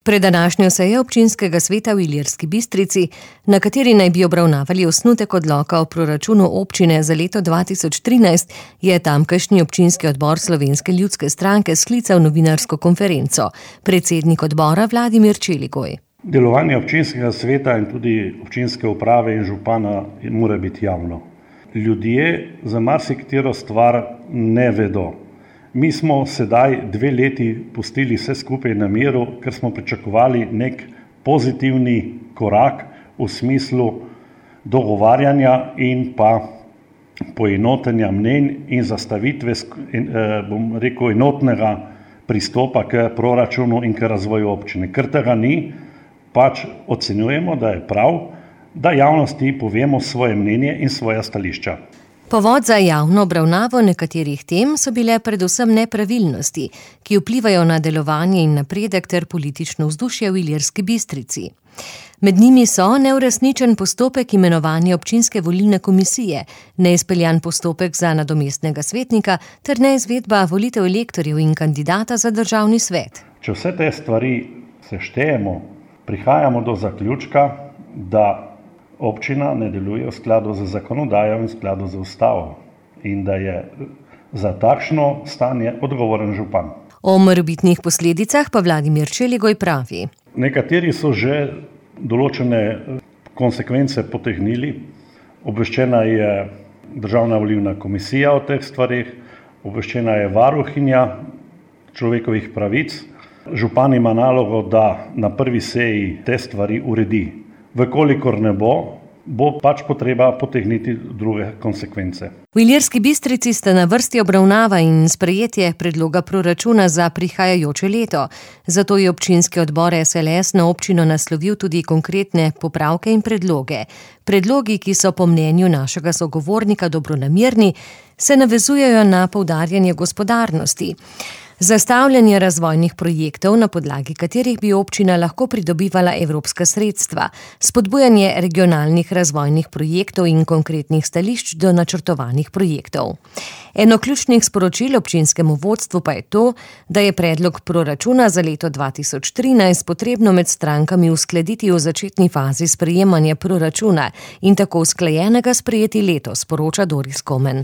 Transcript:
Pred današnjo sejo občinskega sveta v Ilirski Bistrici, na kateri naj bi obravnavali osnutek odloka o proračunu občine za leto 2013, je tamkajšnji občinski odbor Slovenske ljudske stranke sklical novinarsko konferenco. Predsednik odbora Vladimir Čeligoj. Delovanje občinskega sveta in tudi občinske uprave in župana mora biti javno. Ljudje za marsikatero stvar ne vedo. Mi smo sedaj 2 leti pustili vse skupaj na miru, ker smo pričakovali nek pozitivni korak v smislu dogovarjanja in pa poenotenja mnenj in zastavitve, enotnega pristopa k proračunu in k razvoju občine. Ker tega ni, pač ocenjujemo, da je prav, da javnosti povemo svoje mnenje in svoja stališča. Povod za javno obravnavo nekaterih tem so bile predvsem nepravilnosti, ki vplivajo na delovanje in napredek ter politično vzdušje v Ilirski Bistrici. Med njimi so neuresničen postopek imenovanja občinske volilne komisije, neizpeljan postopek za nadomestnega svetnika ter neizvedba volitev elektorjev in kandidata za državni svet. Če vse te stvari seštejemo, prihajamo do zaključka, da občina ne deluje v skladu z zakonodajo in v skladu z ustavo in da je za takšno stanje odgovoren župan. O morebitnih posledicah pa Vladimir Čeligoj pravi. Nekateri so že določene konsekvence potegnili. Obveščena je Državna volilna komisija o teh stvareh, obveščena je varuhinja človekovih pravic. Župan ima nalogo, da na prvi seji te stvari uredi. Vkolikor ne bo pač potreba potegniti druge konsekvence. V Ilirski Bistrici sta na vrsti obravnava in sprejetje predloga proračuna za prihajajoče leto. Zato je občinski odbor SLS na občino naslovil tudi konkretne popravke in predloge. Predlogi, ki so po mnenju našega sogovornika dobronamerni, se navezujejo na poudarjanje gospodarnosti. Zastavljanje razvojnih projektov, na podlagi katerih bi občina lahko pridobivala evropska sredstva, spodbujanje regionalnih razvojnih projektov in konkretnih stališč do načrtovanih projektov. Eno ključnih sporočil občinskemu vodstvu pa je to, da je predlog proračuna za leto 2013 potrebno med strankami uskladiti v začetni fazi sprejemanja proračuna in tako usklajenega sprejeti letos, sporoča Doris Komen.